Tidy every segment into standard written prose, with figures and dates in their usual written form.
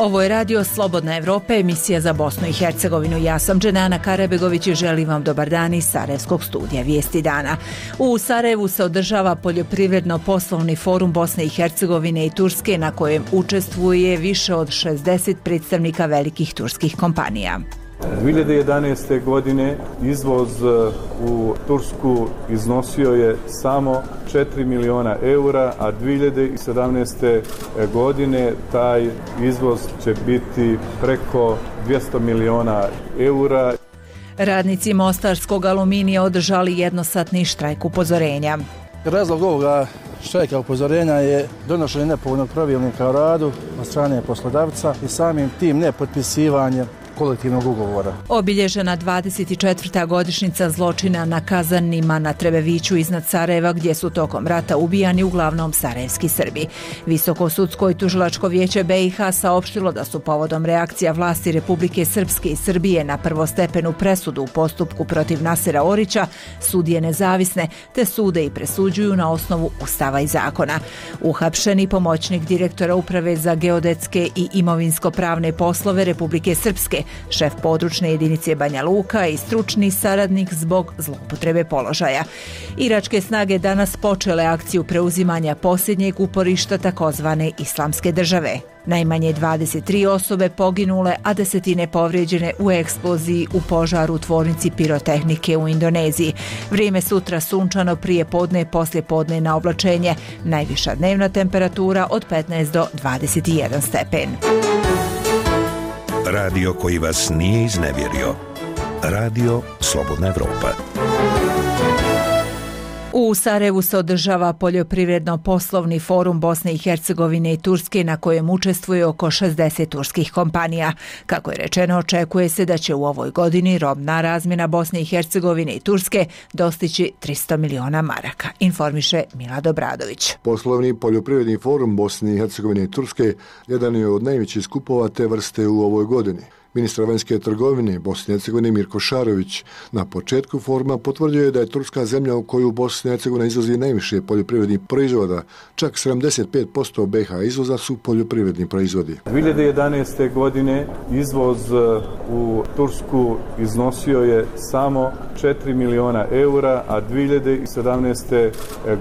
Ovo je Radio Slobodna Evropa, emisija za Bosnu i Hercegovinu. Ja sam Dženana Karabegović i želim vam dobar dan iz Sarajevskog studija Vijesti dana. U Sarajevu se održava poljoprivredno-poslovni forum Bosne i Hercegovine i Turske na kojem učestvuje više od 60 predstavnika velikih turskih kompanija. 2011. godine izvoz u Tursku iznosio je samo 4 miliona eura, a 2017. godine taj izvoz će biti preko 200 miliona eura. Radnici Mostarskog aluminija održali jednosatni štrajk upozorenja. Razlog ovoga štrajka upozorenja je donošenje nepovoljnog pravilnika o radu od strane poslodavca i samim tim nepotpisivanje kolektivnog ugovora. Obilježena 24. godišnjica zločina na Kazanima na Trebeviću iznad Sarajeva, gdje su tokom rata ubijani uglavnom sarajevski Srbi. Visoko sudsko i tužilačko vijeće BiH saopštilo da su povodom reakcija vlasti Republike Srpske i Srbije na prvostepenu presudu u postupku protiv Nasera Orića sudije nezavisne, te sude i presuđuju na osnovu Ustava i zakona. Uhapšeni pomoćnik direktora Uprave za geodetske i imovinsko-pravne poslove Republike Srpske, šef područne jedinice Banja Luka i stručni saradnik zbog zloupotrebe položaja. Iračke snage danas počele akciju preuzimanja posljednjeg uporišta takozvane Islamske države. Najmanje 23 osobe poginule, a desetine povrijeđene u eksploziji u požaru u tvornici pirotehnike u Indoneziji. Vrijeme sutra sunčano, prije podne, poslije podne na oblačenje. Najviša dnevna temperatura od 15 do 21 stepen. Radio koji vas nije iznevjerio. Radio Slobodna Evropa. U Sarajevu se održava poljoprivredno-poslovni forum Bosne i Hercegovine i Turske na kojem učestvuje oko 60 turskih kompanija. Kako je rečeno, očekuje se da će u ovoj godini robna razmjena Bosne i Hercegovine i Turske dostići 300 miliona maraka, informiše Milad Obradović. Poslovni poljoprivredni forum Bosne i Hercegovine i Turske jedan je od najvećih skupova te vrste u ovoj godini. Ministar vanjske trgovine Bosne i Hercegovine Mirko Šarović na početku foruma potvrdio je da je Turska zemlja u koju Bosna i Hercegovina izvozi najviše poljoprivrednih proizvoda, čak 75% BiH izvoza su poljoprivredni proizvodi. 2011. godine izvoz u Tursku iznosio je samo 4 miliona eura, a 2017.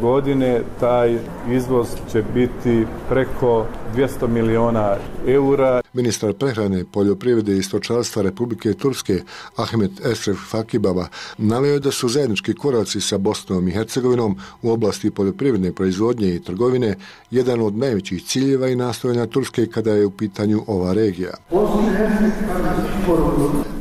godine taj izvoz će biti preko 200 miliona eura. Ministar prehrane, poljoprivrede i stočarstva Republike Turske Ahmet Esref Fakibaba naveo da su zajednički koraci sa Bosnom i Hercegovinom u oblasti poljoprivredne proizvodnje i trgovine jedan od najvećih ciljeva i nastojanja Turske kada je u pitanju ova regija.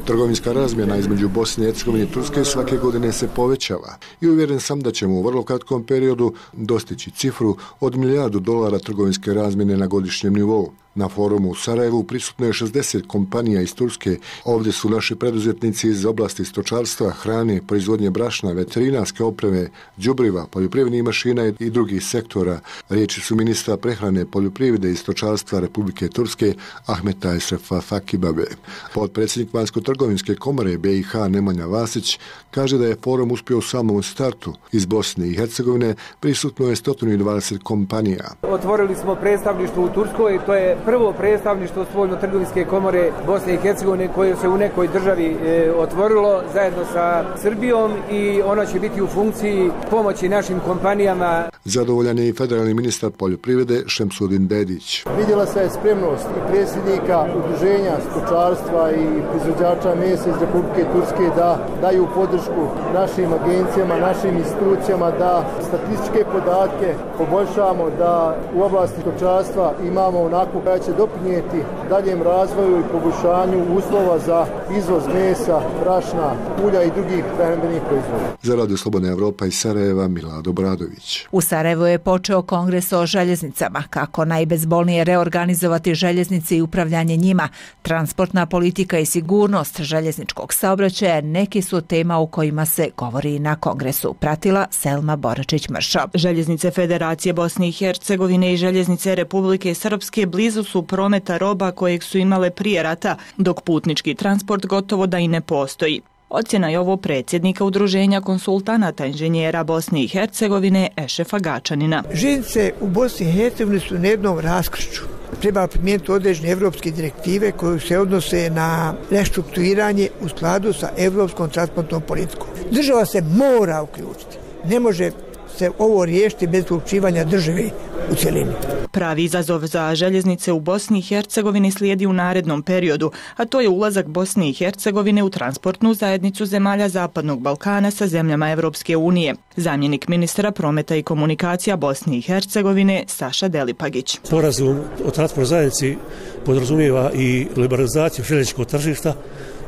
Trgovinska razmjena između Bosne i Hercegovine i Turske svake godine se povećava i uvjeren sam da ćemo u vrlo kratkom periodu dostići cifru od $1 milijardu trgovinske razmjene na godišnjem nivou. Na forumu u Sarajevu prisutno je 60 kompanija iz Turske. Ovdje su naši preduzetnici iz oblasti stočarstva, hrane, proizvodnje brašna, veterinarske opreme, đubriva, poljoprivrednih mašina i drugih sektora. Riječi su ministra prehrane, poljoprivrede i stočarstva Republike Turske Ahmeta Esrefa Fakibabe. Potpredsjednik Vanjsko-trgovinske komore BiH Nemanja Vasić kaže da je forum uspio u samom startu. Iz Bosne i Hercegovine prisutno je 120 kompanija. Otvorili smo predstavništvo u Turskoj, to je prvo predstavništvo Spoljno-trgovinske komore Bosne i Hercegovine koje se u nekoj državi otvorilo zajedno sa Srbijom i ono će biti u funkciji pomoći našim kompanijama. Zadovoljan je i federalni ministar poljoprivrede Šemsudin Dedić. Vidjela se spremnost i predsjednika udruženja stočarstva i proizvođača mesa iz Republike Turske da daju podršku našim agencijama, našim institucijama, da statističke podatke poboljšamo, da u oblasti stočarstva imamo onako koja će doprinijeti daljem razvoju i poboljšanju uslova za izvoz mesa, brašna, ulja i drugih prehrambenih proizvoda. Za Radio Slobodna Evropa iz Sarajeva, Milad Obradović. U Sarajevu je počeo kongres o željeznicama, kako najbezbolnije reorganizovati željeznice i upravljanje njima. Transportna politika i sigurnost željezničkog saobraćaja neki su tema u kojima se govori na kongresu. Pratila Selma Boračić-Mršo. Željeznice Federacije Bosne i Hercegovine i željeznice Republike Srpske blizu su prometa roba kojeg su imale prije rata, dok putnički transport gotovo da i ne postoji. Ocjena je ovo predsjednika Udruženja konsultanata inženjera Bosne i Hercegovine Ešefa Gačanina. Željeznice u Bosni i Hercegovini su na jednom raskršću. treba primijeniti određene evropske direktive koje se odnose na restrukturiranje u skladu sa evropskom transportnom politikom. Država se mora uključiti. Ne može se ovo riješiti bez uključivanja države u cjelini. Pravi izazov za željeznice u Bosni i Hercegovini slijedi u narednom periodu, a to je ulazak Bosne i Hercegovine u transportnu zajednicu zemalja Zapadnog Balkana sa zemljama Evropske unije. Zamjenik ministra prometa i komunikacija Bosne i Hercegovine Saša Delipagić. Sporazum o transportnoj zajednici podrazumijeva i liberalizaciju željezničkog tržišta,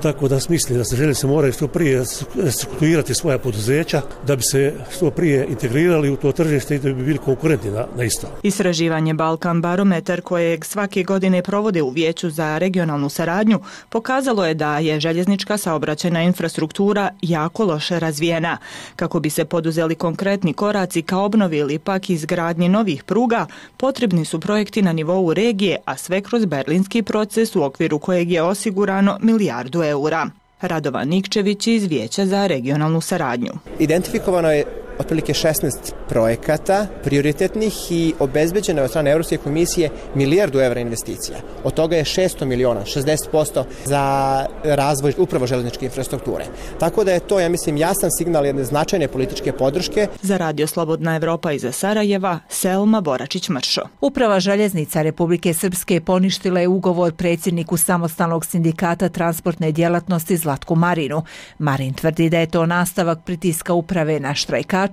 tako da mislim da se željeznice moraju što prije restrukturirati svoja poduzeća da bi se što prije integrirali u to tržište i da bi bili konkurentni na isto. Istraživanje Balkan barometar kojeg svake godine provode u Vijeću za regionalnu saradnju pokazalo je da je željeznička saobraćajna infrastruktura jako loše razvijena. Kako bi se poduzeli konkretni koraci ka obnovi ili pak izgradnji novih pruga, potrebni su projekti na nivou regije, a sve kroz berlinski proces u okviru kojeg je osigurano milijardu eura. Radovan Nikčević iz Vijeća za regionalnu saradnju. Identifikovano je otprilike 16 projekata prioritetnih i obezbeđeno je od strane Europske komisije milijardu evra investicija. Od toga je 600 miliona, 60% za razvoj upravo željezničke infrastrukture. Tako da je to, ja mislim, jasan signal jedne značajne političke podrške. Za Radio Slobodna Evropa iz Sarajeva, Selma Boračić-Mršo. Uprava željeznica Republike Srpske poništila je ugovor predsjedniku samostalnog sindikata transportne djelatnosti Zlatku Marinu. Marin tvrdi da je to nastavak pritiska uprave na štrajka,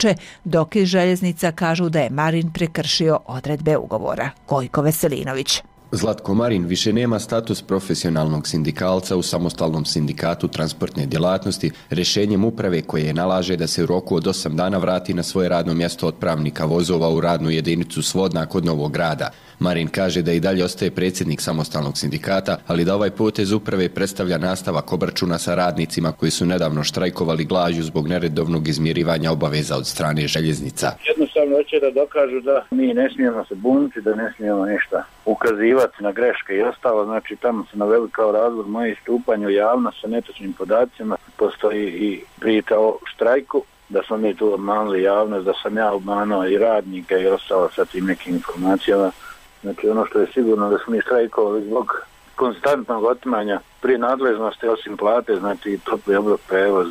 dok iz željeznica kažu da je Marin prekršio odredbe ugovora. Gojko Veselinović. Zlatko Marin više nema status profesionalnog sindikalca u samostalnom sindikatu transportne djelatnosti rješenjem uprave koje je nalaže da se u roku od 8 dana vrati na svoje radno mjesto otpravnika vozova u radnu jedinicu Svodna kod Novog Grada. Marin kaže da i dalje ostaje predsjednik samostalnog sindikata, ali da ovaj potez uprave predstavlja nastavak obračuna sa radnicima koji su nedavno štrajkovali glađu zbog neredovnog izmirivanja obaveza od strane željeznica. Jednostavno hoće da dokažu da mi ne smijemo se buniti, da ne smijemo ništa ukazivati na greške i ostalo. Znači tamo se naveli kao razlog moje istupanje u javnost sa netočnim podacima. Postoji i priča o štrajku, da smo mi tu obmanuli javnost, da sam ja obmanuo i radnike i ostalo sa tim nekim informacijama. Znači ono što je sigurno da smo mi štrajkovali zbog konstantnog otimanja prije nadležnosti osim plate, znači topli obrok, prevoz,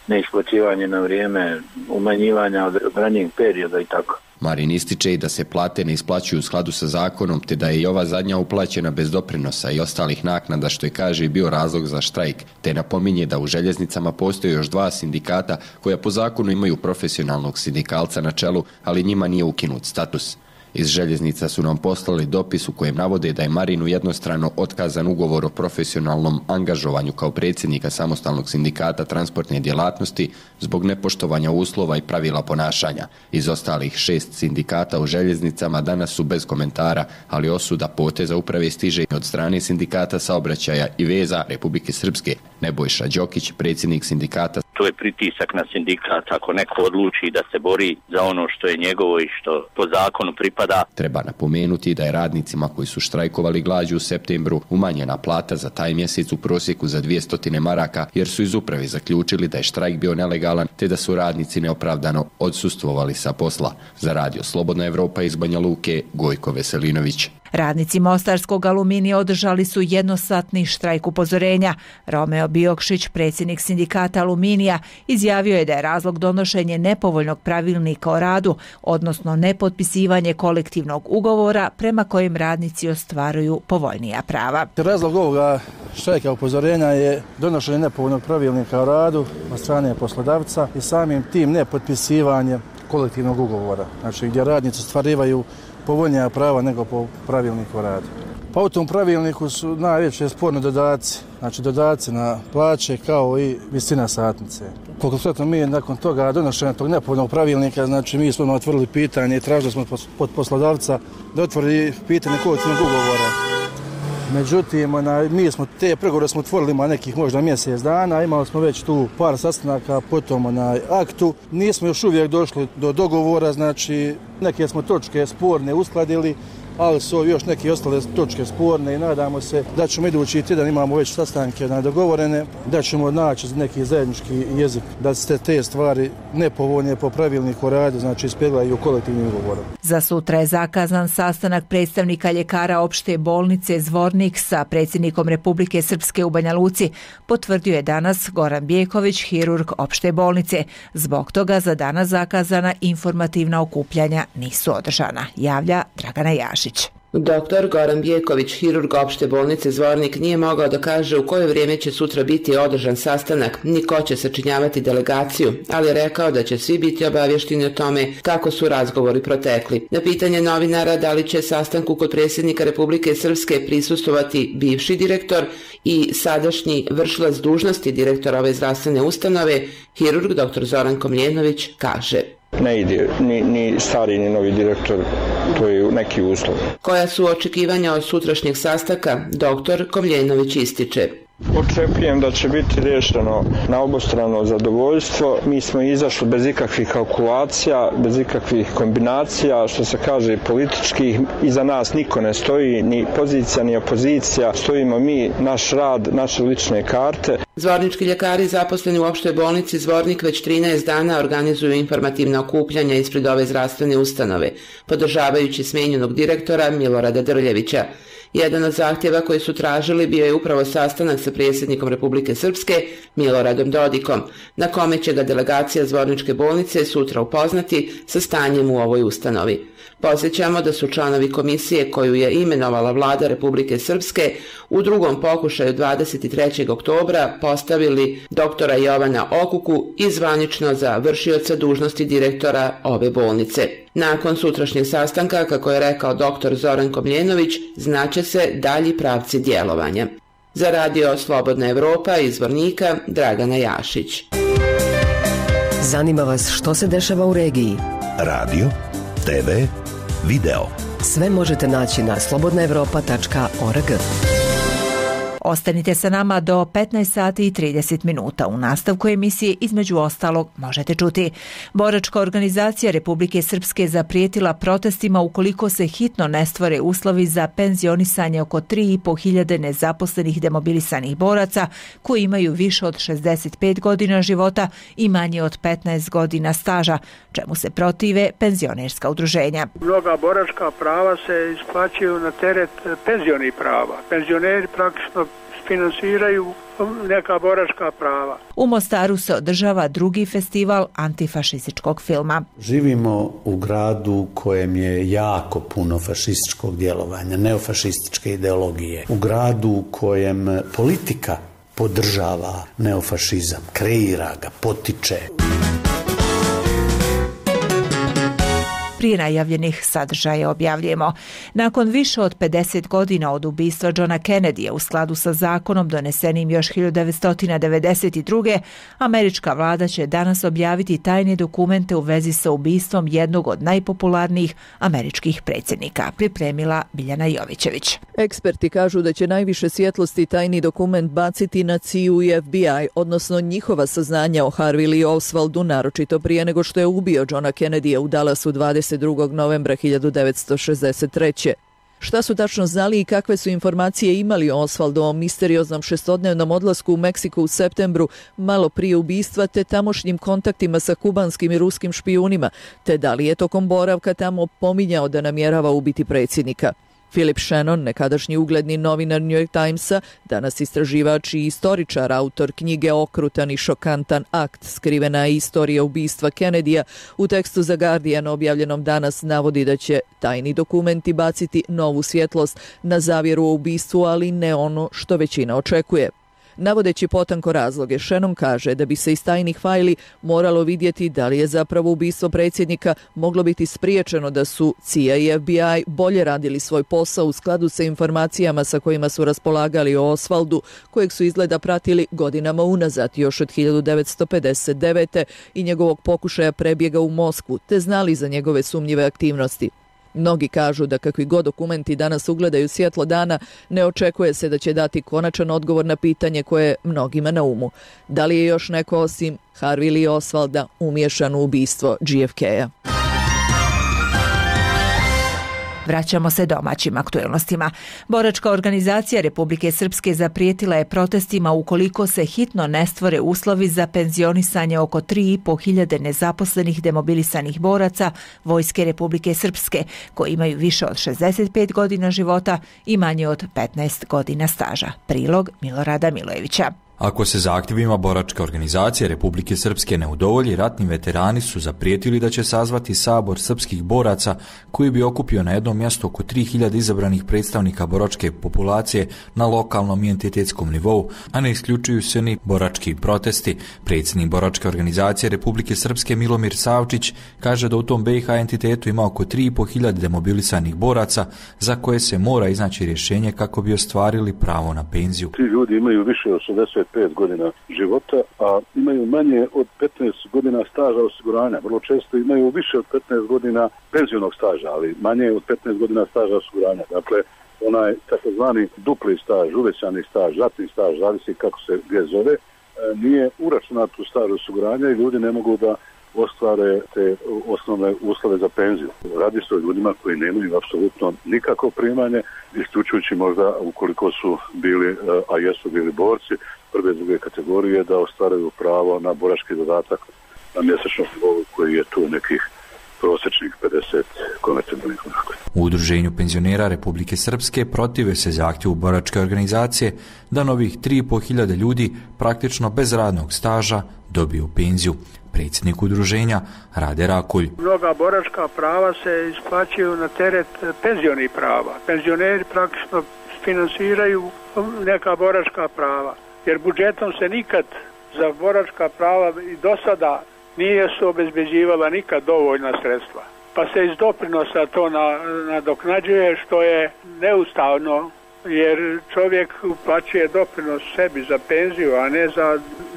neisplaćivanje na vrijeme, umanjivanja od ranijeg perioda i tako. Marin ističe i da se plate ne isplaćuju u skladu sa zakonom, te da je i ova zadnja uplaćena bez doprinosa i ostalih naknada, što je, kaže, i bio razlog za štrajk, te napominje da u željeznicama postoje još 2 sindikata koja po zakonu imaju profesionalnog sindikalca na čelu, ali njima nije ukinut status. Iz željeznica su nam poslali dopis u kojem navode da je Marinu jednostrano otkazan ugovor o profesionalnom angažovanju kao predsjednika samostalnog sindikata transportne djelatnosti zbog nepoštovanja uslova i pravila ponašanja. Iz ostalih 6 sindikata u željeznicama danas su bez komentara, ali osuda poteza uprave stiže od strane sindikata saobraćaja i veza Republike Srpske. Nebojša Đokić, predsjednik sindikata. To je pritisak na sindikat ako neko odluči da se bori za ono što je njegovo i što po zakonu pripada. Treba napomenuti da je radnicima koji su štrajkovali glađu u septembru umanjena plata za taj mjesec u prosjeku za 200 maraka jer su iz uprave zaključili da je štrajk bio nelegalan te da su radnici neopravdano odsustvovali sa posla. Za Radio Slobodna Evropa iz Banja Luke, Gojko Veselinović. Radnici Mostarskog Aluminija održali su jednosatni štrajk upozorenja. Romeo Biokšić, predsjednik sindikata Aluminija, izjavio je da je razlog donošenje nepovoljnog pravilnika o radu, odnosno nepotpisivanje kolektivnog ugovora prema kojim radnici ostvaruju povoljnija prava. Razlog ovoga štrajka upozorenja je donošenje nepovoljnog pravilnika o radu od strane poslodavca i samim tim nepotpisivanje kolektivnog ugovora, znači gdje radnici ostvarivaju povoljnija prava nego po pravilniku o radu. Pa u tom pravilniku su najveće sporne dodaci, znači dodaci na plaće kao i visina satnice. Konkretno mi nakon toga donošenja tog nepovoljnog pravilnika, znači mi smo otvorili pitanje i tražili smo od poslodavca da otvori pitanje kolektivnog ugovora. Međutim, mi smo te pregovore smo otvorili ima nekih možda mjesec dana, imali smo već tu par sastanaka po tom aktu. Nismo još uvijek došli do dogovora, znači neke smo točke sporne uskladili ali su još neke ostale točke sporne i nadamo se da ćemo idući tjedan, imamo već sastanke dogovorene, da ćemo naći neki zajednički jezik, da se te stvari nepovoljne po pravilniku o radu, znači ispeglaju kolektivnim ugovorom. Za sutra je zakazan sastanak predstavnika ljekara opšte bolnice Zvornik sa predsjednikom Republike Srpske u Banja Luci, potvrdio je danas Goran Bjeković, hirurg opšte bolnice. Zbog toga za danas zakazana informativna okupljanja nisu održana, javlja Dragana Jašić. Doktor Goran Bjeković, hirurg opšte bolnice Zvornik, nije mogao da kaže u koje vrijeme će sutra biti održan sastanak, ni ko će sačinjavati delegaciju, ali je rekao da će svi biti obavješteni o tome kako su razgovori protekli. Na pitanje novinara da li će sastanku kod predsjednika Republike Srpske prisustvovati bivši direktor i sadašnji vršilac dužnosti direktora ove zdravstvene ustanove, hirurg dr. Zoran Komljenović kaže: Ne ide ni stari ni novi direktor, to je neki uslov. Koja su očekivanja od sutrašnjeg sastanka, doktor Komljenović ističe: Očekujem da će biti rješeno na obostrano zadovoljstvo. Mi smo izašli bez ikakvih kalkulacija, bez ikakvih kombinacija, što se kaže političkih. Iza nas niko ne stoji, ni pozicija ni opozicija. Stojimo mi, naš rad, naše lične karte. Zvornički ljekari zaposleni u opštoj bolnici Zvornik već 13 dana organizuju informativna okupljanja ispred ove zdravstvene ustanove, podržavajući smijenjenog direktora Milorada Drljevića. Jedan od zahtjeva koji su tražili bio je upravo sastanak sa predsjednikom Republike Srpske Miloradom Dodikom, na kome će ga delegacija Zvorničke bolnice sutra upoznati sa stanjem u ovoj ustanovi. Podsjećamo da su članovi komisije koju je imenovala vlada Republike Srpske u drugom pokušaju 23. oktobra postavili doktora Jovana Okuku i zvanično za vršioca dužnosti direktora ove bolnice. Nakon sutrašnjeg sastanka, kako je rekao dr. Zoran Komljenović, znaće se dalji pravci djelovanja. Za radio Slobodna Evropa iz Zvornika, Dragana Jašić. Zanima vas što se dešava u regiji? Radio, TV, video. Sve možete naći na slobodnaevropa.org. Ostanite sa nama do 15 sati i 30 minuta. U nastavku emisije između ostalog možete čuti: boračka organizacija Republike Srpske zaprijetila protestima ukoliko se hitno ne stvore uslovi za penzionisanje oko 3.500 nezaposlenih demobilisanih boraca koji imaju više od 65 godina života i manje od 15 godina staža, čemu se protive penzionerska udruženja. Mnoga boračka prava se isplaćuju na teret penzionih prava. Penzioneri praktično finansiraju neka boračka prava. U Mostaru se održava drugi festival antifašističkog filma. Živimo u gradu u kojem je jako puno fašističkog djelovanja, neofašističke ideologije. U gradu u kojem politika podržava neofašizam, kreira ga, potiče. Prije najavljenih sadržaja objavljujemo: nakon više od 50 godina od ubistva Johna Kennedyja u skladu sa zakonom donesenim još 1992. američka vlada će danas objaviti tajne dokumente u vezi sa ubistvom jednog od najpopularnijih američkih predsjednika, pripremila Biljana Jovićević. Eksperti kažu da će najviše svjetlosti tajni dokument baciti na CIA i FBI, odnosno njihova saznanja o Harvey Lee Oswaldu, naročito prije nego što je ubio Johna Kennedyja u Dallasu 22. novembra 1963. Šta su tačno znali i kakve su informacije imali o Oswaldovom misterioznom šestodnevnom odlasku u Meksiku u septembru, malo prije ubistva, te tamošnjim kontaktima sa kubanskim i ruskim špijunima, te da li je tokom boravka tamo pominjao da namjerava ubiti predsjednika. Philip Shannon, nekadašnji ugledni novinar New York Timesa, danas istraživač i istoričar, autor knjige Okrutan i šokantan akt, skrivena istorija ubistva Kennedyja, u tekstu za Guardian objavljenom danas navodi da će tajni dokumenti baciti novu svjetlost na zavjeru o ubistvu, ali ne ono što većina očekuje. Navodeći potanko razloge, Shannon kaže da bi se iz tajnih fajli moralo vidjeti da li je zapravo ubistvo predsjednika moglo biti spriječeno da su CIA i FBI bolje radili svoj posao u skladu sa informacijama sa kojima su raspolagali o Oswaldu, kojeg su izgleda pratili godinama unazad, još od 1959. i njegovog pokušaja prebjega u Moskvu, te znali za njegove sumnjive aktivnosti. Mnogi kažu da kakvi god dokumenti danas ugledaju svjetlo dana, ne očekuje se da će dati konačan odgovor na pitanje koje je mnogima na umu. Da li je još neko osim Harvey Lee Oswalda umiješan u ubistvo JFK-a? Vraćamo se domaćim aktuelnostima. Boračka organizacija Republike Srpske zaprijetila je protestima ukoliko se hitno ne stvore uslovi za penzionisanje oko 3.500 nezaposlenih demobilisanih boraca Vojske Republike Srpske, koji imaju više od 65 godina života i manje od 15 godina staža. Prilog Milorada Milojevića. Ako se zahtjevima Boračke organizacije Republike Srpske ne udovolji, ratni veterani su zaprijetili da će sazvati sabor srpskih boraca koji bi okupio na jednom mjestu oko 3000 izabranih predstavnika boračke populacije na lokalnom i entitetskom nivou, a ne isključuju se ni borački protesti. Predsjednik Boračke organizacije Republike Srpske Milomir Savčić kaže da u tom BiH entitetu ima oko 3.500 demobilisanih boraca za koje se mora iznaći rješenje kako bi ostvarili pravo na penziju. Ti ljudi imaju više od 65 godina života, a imaju manje od 15 godina staža osiguranja. Vrlo često imaju više od 15 godina penzionog staža, ali manje od 15 godina staža osiguranja. Dakle, onaj takozvani dupli staž, uvećani staž, ratni staž, zavisi kako se gdje zove, nije uračunat u staž osiguranja i ljudi ne mogu da ostvare te osnovne uslove za penziju. Radi se o ljudima koji nemaju apsolutno nikakvo primanje, isključujući možda ukoliko su bili, a jesu bili borci prve i druge kategorije, da ostvaruju pravo na borački dodatak na mjesečnom nivou koji je tu nekih prosječnih 50 konvertibilnih kuna. U Udruženju penzionera Republike Srpske protive se zahtjevu Boračke organizacije da novih 3.500 ljudi praktično bez radnog staža dobiju penziju. Predsjednik udruženja Rade Rakulj. Mnoga boračka prava se isplaćuju na teret penzionih prava. Penzioneri praktično finansiraju neka boračka prava, jer budžetom se nikad za boračka prava i do sada nije su obezbeđivala nikad dovoljna sredstva. Pa se iz doprinosa to nadoknađuje, što je neustavno, jer čovjek uplaćuje doprinos sebi za penziju, a ne za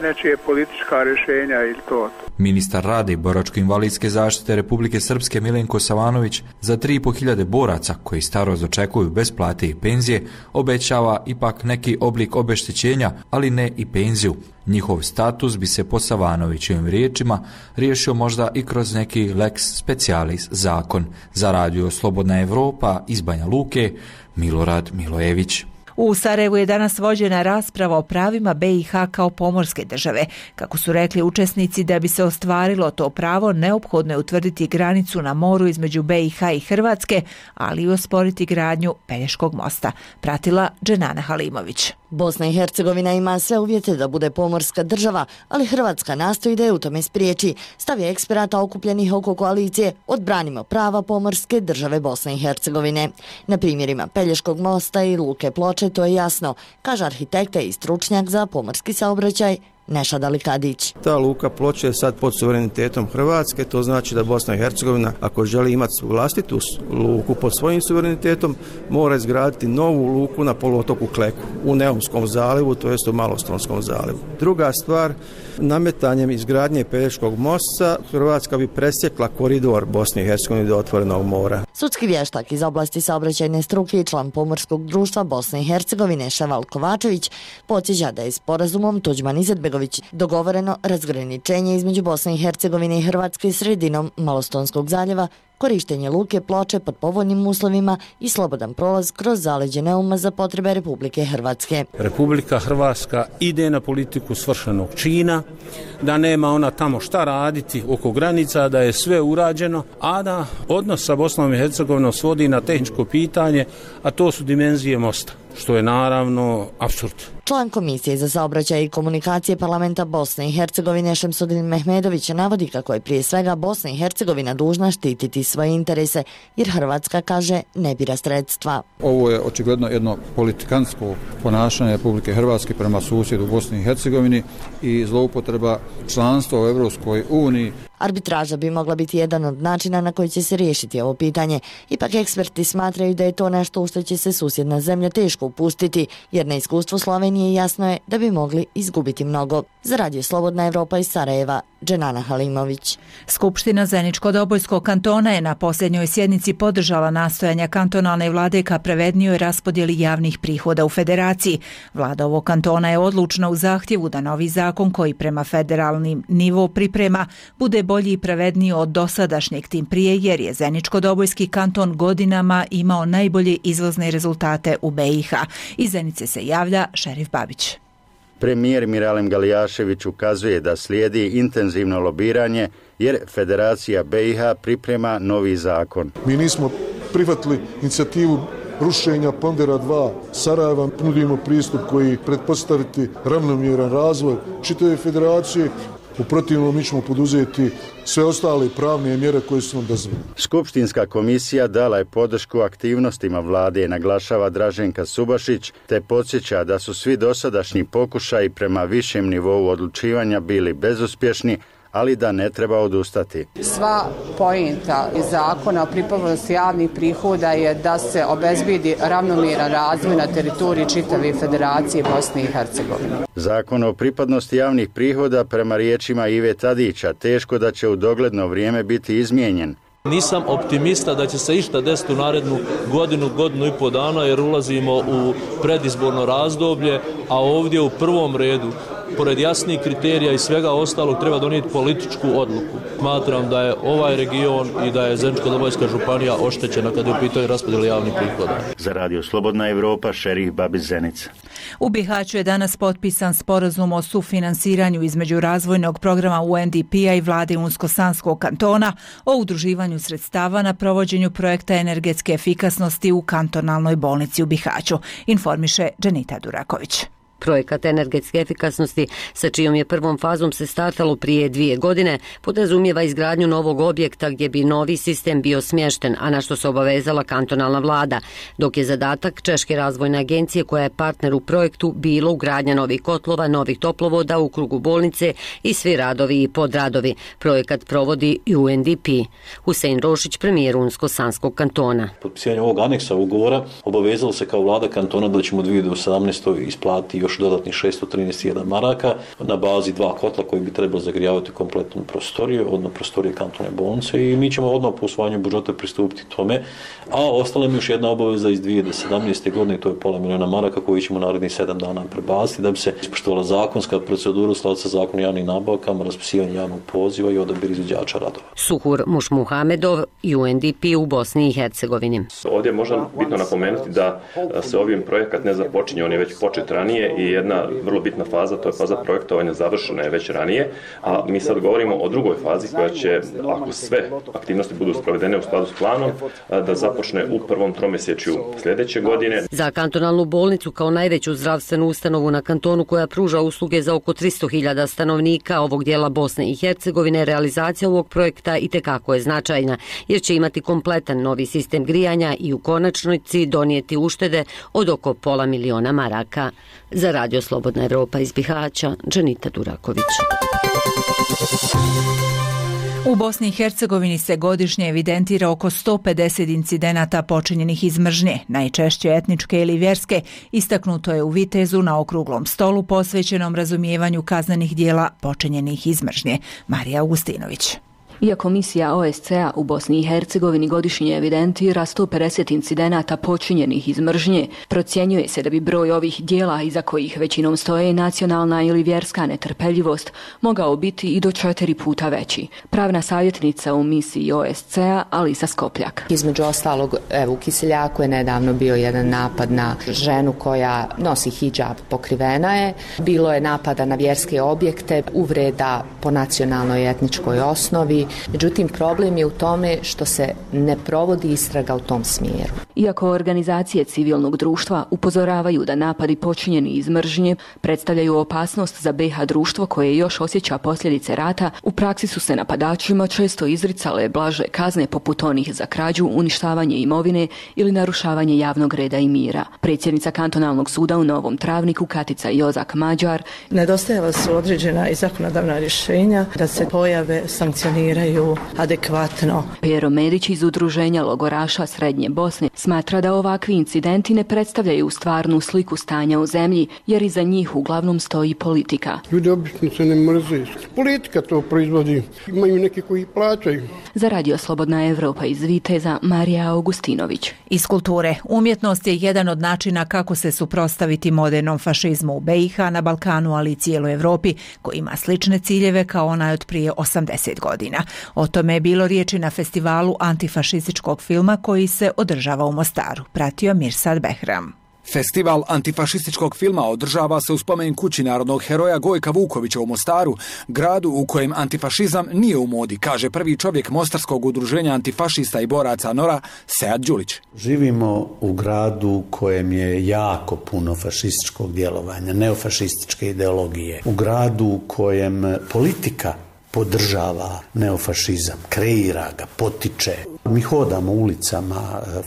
nečije politička rješenja ili to. Ministar rada i boračko-invalidske zaštite Republike Srpske Milenko Savanović za 3.500 boraca koji starost očekuju bez plate i penzije obećava ipak neki oblik obeštećenja, ali ne i penziju. Njihov status bi se po Savanovićevim riječima riješio možda i kroz neki lex specialis zakon. Za radio Slobodna Evropa iz Banja Luke, Milorad Milojević. U Sarajevu je danas vođena rasprava o pravima BiH kao pomorske države. Kako su rekli učesnici, da bi se ostvarilo to pravo, neophodno je utvrditi granicu na moru između BiH i Hrvatske, ali i osporiti gradnju Pelješkog mosta. Pratila Dženana Halimović. Bosna i Hercegovina ima sve uvjete da bude pomorska država, ali Hrvatska nastoji da je u tome spriječi. Stav je eksperata okupljenih oko koalicije Odbranimo prava pomorske države Bosne i Hercegovine. Na primjerima Pelješkog mosta i Luke Ploče to je jasno, kaže arhitekta i stručnjak za pomorski saobraćaj Nešad Alikadić. Ta Luka Ploče je sad pod suverenitetom Hrvatske, to znači da Bosna i Hercegovina, ako želi imati vlastitu luku pod svojim suverenitetom, mora izgraditi novu luku na poluotoku Kleku, u Neumskom zalivu, to jest u Malostonskom zalivu. Druga stvar, nametanjem izgradnje Pelješkog mosta, Hrvatska bi presjekla koridor Bosne i Hercegovine do otvorenog mora. Sudski vještak iz oblasti saobraćajne struke i član Pomorskog društva Bosne i Hercegovine Ševal Kovačević podsjeća da je sporazumom Tuđman Izetbegović dogovoreno razgraničenje između Bosne i Hercegovine i Hrvatske sredinom Malostonskog zaljeva, korištenje Luke Ploče pod povoljnim uslovima i slobodan prolaz kroz zaleđe Neuma za potrebe Republike Hrvatske. Republika Hrvatska ide na politiku svršenog čina, da nema ona tamo šta raditi oko granica, da je sve urađeno, a da odnos sa Bosnom i Hercegovinom svodi na tehničko pitanje, a to su dimenzije mosta, što je naravno apsurd. Član Komisije za saobraćaj i komunikacije Parlamenta Bosne i Hercegovine Šemsudin Mehmedović navodi kako je prije svega Bosna i Hercegovina dužna štititi svoje interese, jer Hrvatska, kaže, ne bira sredstva. Ovo je očigledno jedno politikantsko ponašanje Republike Hrvatske prema susjedu Bosni i Hercegovini i zloupotreba članstva u Evropskoj uniji. Arbitraža bi mogla biti jedan od načina na koji će se riješiti ovo pitanje. Ipak eksperti smatraju da je to nešto u što će se susjedna zemlja teško upustiti, jer na iskustvo Slovenije jasno je da bi mogli izgubiti mnogo. Za radio Slobodna Evropa iz Sarajeva, Dženana Halimović. Skupština Zeničko-Dobojskog kantona je na posljednjoj sjednici podržala nastojanja kantonalne vlade ka pravednijoj raspodjeli javnih prihoda u federaciji. Vlada ovog kantona je odlučna u zahtjevu da novi zakon koji prema federalnim nivo priprema bude bolji i pravedniji od dosadašnjeg, tim prije jer je Zeničko-Dobojski kanton godinama imao najbolje izvozne rezultate u BiH. Iz Zenice se javlja Šerif Babić. Premijer Miralem Galijašević ukazuje da slijedi intenzivno lobiranje jer Federacija BiH priprema novi zakon. Mi nismo prihvatili inicijativu rušenja Pondera 2 Sarajeva, nudimo pristup koji pretpostaviti ravnomjeran razvoj čitave federacije. U protivnom mi ćemo poduzeti sve ostale pravne mjere koje su nam dozvoljene. Skupštinska komisija dala je podršku aktivnostima vlade, naglašava Draženka Subašić, te podsjeća da su svi dosadašnji pokušaji prema višem nivou odlučivanja bili bezuspješni, ali da ne treba odustati. Sva poenta iz zakona o pripadnosti javnih prihoda je da se obezbedi ravnomjeran razvoj na teritoriji čitave Federacije Bosne i Hercegovine. Zakon o pripadnosti javnih prihoda prema riječima Ive Tadića teško da će u dogledno vrijeme biti izmijenjen. Nisam optimista da će se išta desiti u narednu godinu i pol dana jer ulazimo u predizborno razdoblje, a ovdje u prvom redu, pored jasnih kriterija i svega ostalog, treba donijeti političku odluku. Smatram da je ovaj region i da je Zeničko-Dobojska županija oštećena kada je u pitanju raspodjele javnih prihoda. Za Radio Slobodna Evropa, Šerif Babić, Zenica. U Bihaću je danas potpisan sporazum o sufinansiranju između razvojnog programa UNDP-a i vlade Unsko-Sanskog kantona o udruživanju sredstava na provođenju projekta energetske efikasnosti u kantonalnoj bolnici u Bihaću, informiše Dženita Duraković. Projekat energetske efikasnosti, sa čijom je prvom fazom se startalo prije 2 godine, podrazumijeva izgradnju novog objekta gdje bi novi sistem bio smješten, a na što se obavezala kantonalna vlada, dok je zadatak Češke razvojne agencije, koja je partner u projektu, bilo ugradnja novih kotlova, novih toplovoda u krugu bolnice i svi radovi i podradovi. Projekat provodi UNDP. Husein Rošić, premijer Unsko-Sanskog kantona. Potpisivanje ovog aneksa ugovora obavezalo se kao vlada kantona da ćemo 2018. isplatiti još dodatnih 631 maraka na bazi 2 kotla koji bi trebalo zagrijavati kompletnu prostoriju, odnosno prostorije kantone bolnice, i mi ćemo odmah po usvajanju budžeta pristupiti tome, a ostala mi još jedna obaveza iz 2017. godine, to je $500 milijuna maraka koji ćemo narednih 7 dana prebaciti da bi se ispoštovala zakonska procedura u skladu sa zakonom o javnim nabavkama, raspisivanje javnog poziva i odabir izvođača radova. Suhur Mušmuhamedov, UNDP u Bosni i Hercegovini. Ovdje je možda bitno napomenuti da se ovim projekat ne započinje, on je već počet ranije i jedna vrlo bitna faza, to je faza projektovanja, završena je već ranije, a mi sad govorimo o drugoj fazi koja će, ako sve aktivnosti budu sprovedene u skladu s planom, da započne u prvom tromjesečju sljedeće godine. Za kantonalnu bolnicu kao najveću zdravstvenu ustanovu na kantonu koja pruža usluge za oko 300.000 stanovnika ovog dijela Bosne i Hercegovine, realizacija ovog projekta itekako je značajna jer će imati kompletan novi sistem grijanja i u konačnici donijeti uštede od oko $500 milijuna maraka. Za Radio Slobodna Evropa iz Bihaća, Dženita Duraković. U Bosni i Hercegovini se godišnje evidentira oko 150 incidenata počinjenih iz mržnje, najčešće etničke ili vjerske, istaknuto je u Vitezu na okruglom stolu posvećenom razumijevanju kaznenih dijela počinjenih iz mržnje. Marija Augustinović. Iako misija OSCE-a u Bosni i Hercegovini godišnje evidentira 150 incidenata počinjenih iz mržnje, procjenjuje se da bi broj ovih dijela iza kojih većinom stoje nacionalna ili vjerska netrpeljivost mogao biti i do 4 puta veći. Pravna savjetnica u misiji OSCE-a Alisa Skopljak. Između ostalog, u Kiseljaku je nedavno bio jedan napad na ženu koja nosi hidžab, pokrivena je. Bilo je napada na vjerske objekte, uvreda po nacionalnoj i etničkoj osnovi. Međutim, problem je u tome što se ne provodi istraga u tom smjeru. Iako organizacije civilnog društva upozoravaju da napadi počinjeni iz mržnje predstavljaju opasnost za BiH društvo koje još osjeća posljedice rata, u praksi su se napadačima često izricale blaže kazne poput onih za krađu, uništavanje imovine ili narušavanje javnog reda i mira. Predsjednica kantonalnog suda u Novom Travniku Katica Jozak Mađar: nedostajala su određena i zakonodavna rješenja da se pojave sankcioniraju adekvatno. Pero Medić iz Udruženja logoraša Srednje Bosne smatra Smatra da ovakvi incidenti ne predstavljaju stvarnu sliku stanja u zemlji, jer iza njih uglavnom stoji politika. Ljudi obično se ne mrze. Politika to proizvodi. Imaju neki koji plaćaju. Za Radio Slobodna Evropa iz Viteza, Marija Augustinović. Iz kulture. Umjetnost je jedan od načina kako se suprotstaviti modernom fašizmu u BiH, na Balkanu, ali i cijeloj Evropi, koji ima slične ciljeve kao onaj od prije 80 godina. O tome je bilo riječi na festivalu antifašističkog filma koji se održava u Mostaru. Pratio Mirsad Behram. Festival antifašističkog filma održava se u spomen kući narodnog heroja Gojka Vukovića u Mostaru, gradu u kojem antifašizam nije u modi, kaže prvi čovjek Mostarskog udruženja antifašista i boraca NORA, Sead Đulić. Živimo u gradu u kojem je jako puno fašističkog djelovanja, neofašističke ideologije. U gradu u kojem politika podržava neofašizam, kreira ga, potiče. Mi hodamo ulicama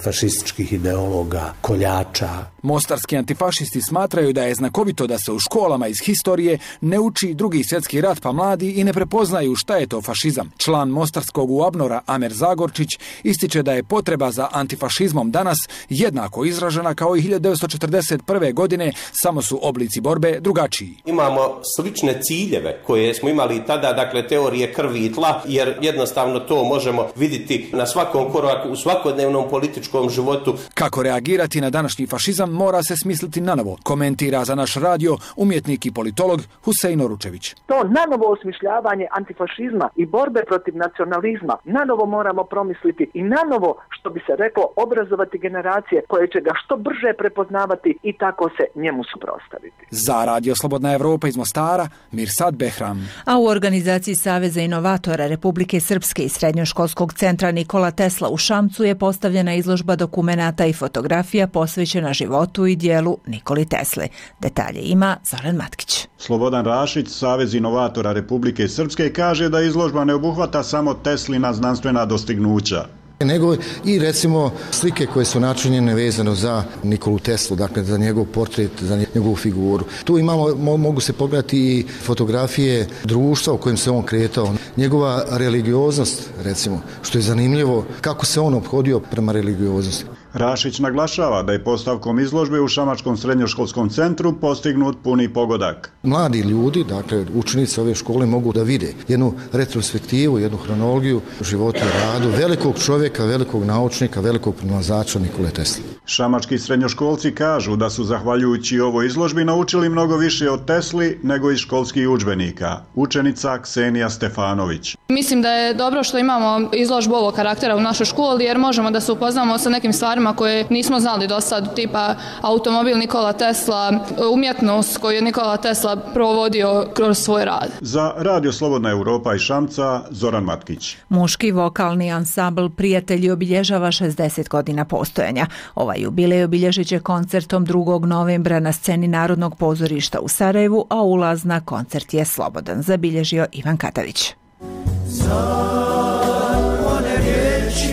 fašističkih ideologa, koljača. Mostarski antifašisti smatraju da je znakovito da se u školama iz historije ne uči Drugi svjetski rat, pa mladi i ne prepoznaju šta je to fašizam. Član Mostarskog UABNOR-a Amer Zagorčić ističe da je potreba za antifašizmom danas jednako izražena kao i 1941. godine, samo su oblici borbe drugačiji. Imamo slične ciljeve koje smo imali tada, dakle teorije krvi i tla, jer jednostavno to možemo vidjeti na svakom koraku, u svakodnevnom političkom životu. Kako reagirati na današnji fašizam mora se smisliti nanovo, komentira za naš radio umjetnik i politolog Husein Oručević. To nanovo osmišljavanje antifašizma i borbe protiv nacionalizma nanovo moramo promisliti i nanovo, što bi se reklo, obrazovati generacije koje će ga što brže prepoznavati i tako se njemu suprotstaviti. Za Radio Slobodna Evropa iz Mostara, Mirsad Behram. A u organizaciji Saveza inovatora Republike Srpske i Srednjoškolskog centra Nikola Tesla u Šamcu je postavljena izložba dokumenata i fotografija posvećena životu i dijelu Nikoli Tesle. Detalje ima Zoran Matkić. Slobodan Rašić, Savez inovatora Republike Srpske, kaže da izložba ne obuhvata samo Teslina znanstvena dostignuća, nego i recimo slike koje su načinjene vezano za Nikolu Teslu, dakle za njegov portret, za njegovu figuru. Tu imamo, mogu se pogledati i fotografije društva u kojem se on kretao, njegova religioznost, recimo, što je zanimljivo, kako se on ophodio prema religioznosti. Rašić naglašava da je postavkom izložbe u Šamačkom srednjoškolskom centru postignut puni pogodak. Mladi ljudi, dakle učenici ove škole, mogu da vide jednu retrospektivu, jednu hronologiju života i radu velikog čovjeka, velikog naučnika, velikog pronalazača Nikole Tesle. Šamački srednjoškolci kažu da su zahvaljujući ovoj izložbi naučili mnogo više od Tesli nego iz školskih udžbenika. Učenica Ksenija Stefanović. Mislim da je dobro što imamo izložbu ovog karaktera u našoj školi, jer možemo da se upoznamo sa nekim stvarima koje nismo znali do sad, tipa automobil Nikola Tesla, umjetnost koju je Nikola Tesla provodio kroz svoj rad. Za Radio Slobodna Evropa iz Šamca, Zoran Matkić. Muški vokalni ansambl Prijatelji obilježava 60 godina postojanja. Ovaj jubilej obilježit će koncertom 2. novembra na sceni Narodnog pozorišta u Sarajevu, a ulaz na koncert je slobodan, zabilježio Ivan Katavić.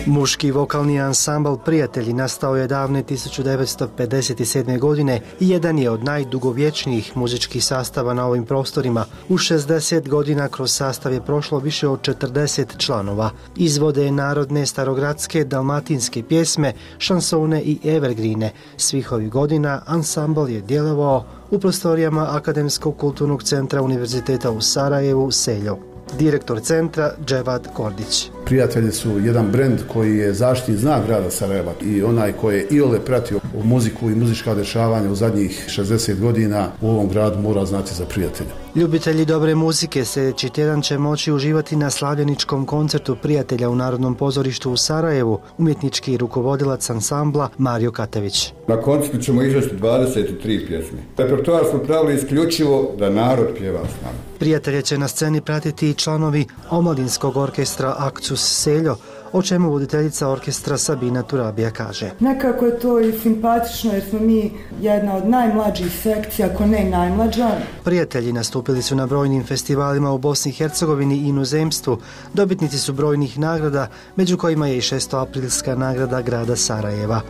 Muški vokalni ansambl Prijatelji nastao je davne 1957. godine i jedan je od najdugovječnijih muzičkih sastava na ovim prostorima. U 60 godina kroz sastav je prošlo više od 40 članova. Izvode narodne, starogradske, dalmatinske pjesme, šansone i evergrine. Svih ovih godina ansambl je djelovao u prostorijama Akademskog kulturnog centra Univerziteta u Sarajevu, Seljo. Direktor centra Dževad Kordić. Prijatelji su jedan brend koji je zaštitni znak grada Sarajeva i onaj koji je iole pratio muziku i muzička dešavanja u zadnjih 60 godina u ovom gradu mora znati za Prijatelja. Ljubitelji dobre muzike sljedeći tjedan će moći uživati na slavljeničkom koncertu Prijatelja u Narodnom pozorištu u Sarajevu, umjetnički rukovodilac ansambla Mario Katević. Na koncertu ćemo izvesti 23 pjesme. Repertoar smo pravili isključivo da narod pjeva s nama. Prijatelje će na sceni pratiti i članovi omladinskog orkestra Akcus Seljo, o čemu voditeljica orkestra Sabina Turabija kaže. Nekako je to i simpatično jer smo mi jedna od najmlađih sekcija, ako ne najmlađa. Prijatelji nastupili su na brojnim festivalima u Bosni i Hercegovini i inozemstvu. Dobitnici su brojnih nagrada, među kojima je i 600-aprilska nagrada grada Sarajeva.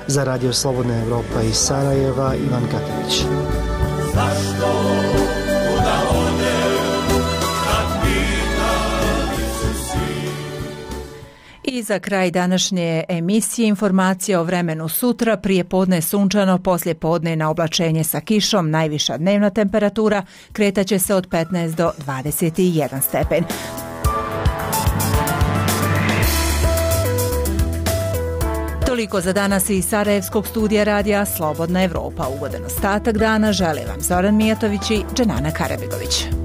Za Radio Slobodna Evropa iz Sarajeva, Ivan Katavić. Iz za kraj današnje emisije informacija o vremenu sutra, prije podne sunčano, poslije podne na oblačenje sa kišom, najviša dnevna temperatura kretaće se od 15 do 21 stepen. Toliko za danas iz Sarajevskog studija radija Slobodna Evropa. Ugodan ostatak dana žele vam Zoran Mijatović i Dženana Karabegović.